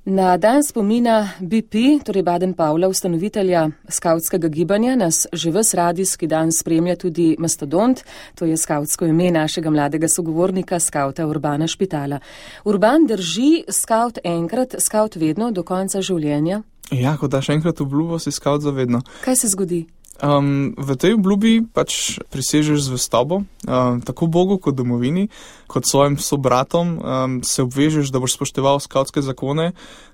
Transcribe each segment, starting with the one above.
Na dan spomina BP, torej Baden-Powella, ustanovitelja skavtskega gibanja, nas že ves radijski dan spremlja tudi Mastodont, to je skavtsko ime našega mladega sogovornika, skavta Urbana Špitala. Urban, drži skavt enkrat, skavt vedno, do konca življenja? Ja, ko daš enkrat obljubo, si skavt za vedno. Kaj se zgodi? V tej obljubi pač prisežeš zvestobo, tako Bogu kot domovini, kot svojim sobratom, se obvežeš, da boš spošteval skavtske zakone.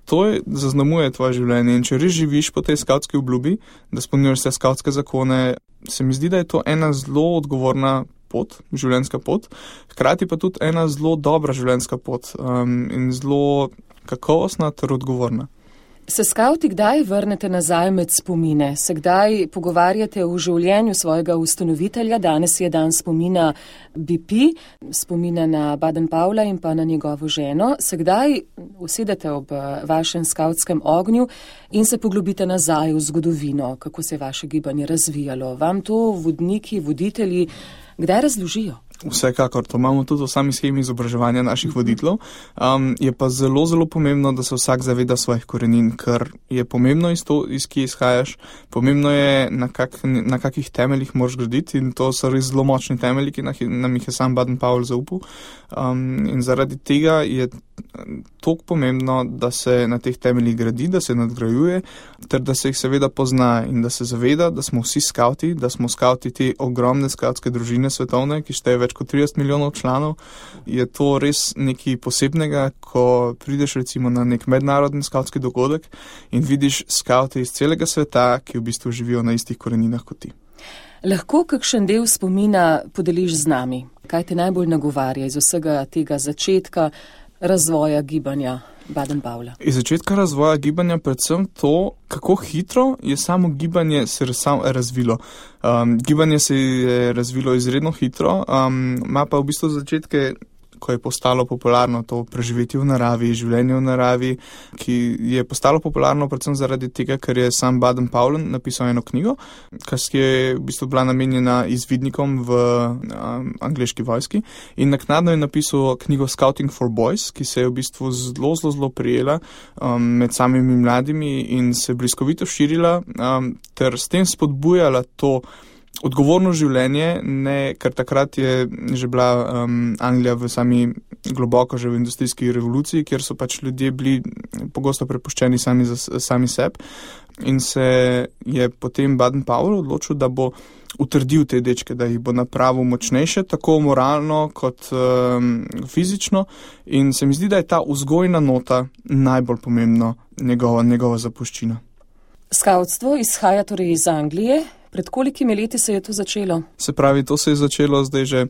To zaznamuje tvoje življenje in če res živiš po tej skavtski obljubi, da spolnjuješ vse skavtske zakone, se mi zdi, da je to ena zelo odgovorna pot, življenjska pot, hkrati pa tudi ena zelo dobra življenjska pot in zelo kakovostna ter odgovorna. Se skavti kdaj vrnete nazaj med spomine? Se kdaj pogovarjate o življenju svojega ustanovitelja? Danes je dan spomina BP, spomina na Baden-Powella in pa na njegovo ženo. Se kdaj usedete ob vašem skavtskem ognju in se poglobite nazaj v zgodovino, kako se je vaše gibanje razvijalo? Vam to vodniki, voditelji kdaj razložijo? Vsekakor, to imamo tudi v sami shemi izobraževanja naših voditeljev. Je pa zelo, zelo pomembno, da se vsak zaveda svojih korenin, ker je pomembno iz kje izhajaš, pomembno je na kakih temeljih moraš graditi in to so res zelo močni temelji, ki nam jih je sam Baden-Powell zaupal. In zaradi tega je toliko pomembno, da se na teh temeljih gradi, da se nadgrajuje, ter da se jih seveda pozna in da se zaveda, da smo vsi skavti, da smo skavti te ogromne skavtske družine svetovne, ki šteje več kot 30 milijonov članov. Je to res nekaj posebnega, ko prideš recimo na nek mednarodni skavtski dogodek in vidiš skavte iz celega sveta, ki v bistvu živijo na istih koreninah kot ti. Lahko kakšen del spomina podeliš z nami? Kaj te najbolj nagovarja iz vsega tega začetka razvoja gibanja Baden-Powella? Iz začetka razvoja gibanja predvsem to, kako hitro je samo gibanje se razvilo. Gibanje se je razvilo izredno hitro, ima pa v bistvu začetke, ko je postalo popularno to preživetje v naravi, življenje v naravi, ki je postalo popularno predvsem zaradi tega, ker je sam Baden-Powell napisal eno knjigo, ki je v bistvu bila namenjena izvidnikom v angleški vojski in naknadno je napisal knjigo Scouting for Boys, ki se je v bistvu zelo prijela med samimi mladimi in se bliskovito širila ter s tem spodbujala to odgovorno življenje, ker takrat je že bila Anglija v globoko že v industrijski revoluciji, kjer so pač ljudje bili pogosto prepuščeni sami sebi in se je potem Baden-Powell odločil, da bo utrdil te dečke, da jih bo napravil močnejše, tako moralno kot fizično in se mi zdi, da je ta vzgojna nota najbolj pomembna njegova zapuščina. Skavtstvo izhaja torej iz Anglije. Pred kolikimi leti se je to začelo? Se pravi, to se je začelo zdaj že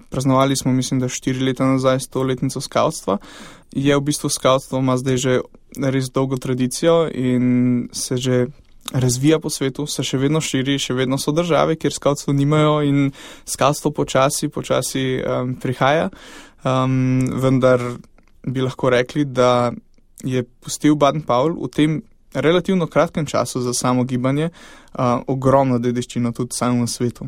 praznovali smo, mislim, da 4 leta nazaj 100-letnico skavtstva. Je v bistvu skavtstvo ima zdaj že res dolgo tradicijo in se že razvija po svetu, se še vedno širi, še vedno so države, kjer skavtstvo nimajo in skavtstvo počasi prihaja. Vendar bi lahko rekli, da je pustil Baden-Powell v tem relativno kratkem času za samo gibanje ogromno dediščino tudi samemu svetu.